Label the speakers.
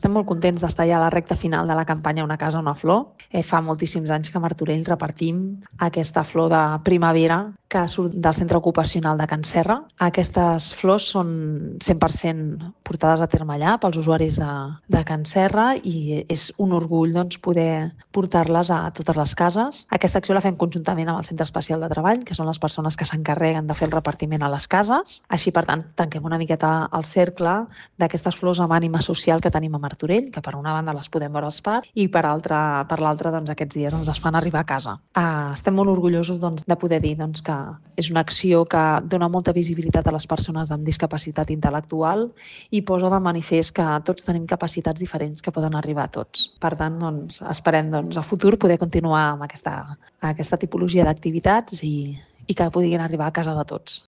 Speaker 1: estem molt contents d'estar ja a la recta final de la campanya Una casa, una flor. Fa moltíssims anys que a Martorell repartim aquesta flor de primavera que surt del centre ocupacional de Can Serra. Aquestes flors són 100% portades a terme allà pels usuaris de Can Serra i és un orgull poder portar-les a totes les cases. Aquesta acció la fem conjuntament amb el Centre Especial de Treball, que són les persones que s'encarreguen de fer el repartiment a les cases. Així, per tant, tanquem una miqueta el cercle d'aquestes flors amb ànima social que tenim a Martorell, que per una banda les podem veure als parcs i per l'altra, aquests dies ens es fan arribar a casa. Estem molt orgullosos de poder dir que és una acció que dona molta visibilitat a les persones amb discapacitat intel·lectual i posa de manifest que tots tenim capacitats diferents que poden arribar a tots. Per tant, esperem a futur poder continuar amb aquesta tipologia d'activitats i que puguin arribar a casa de tots.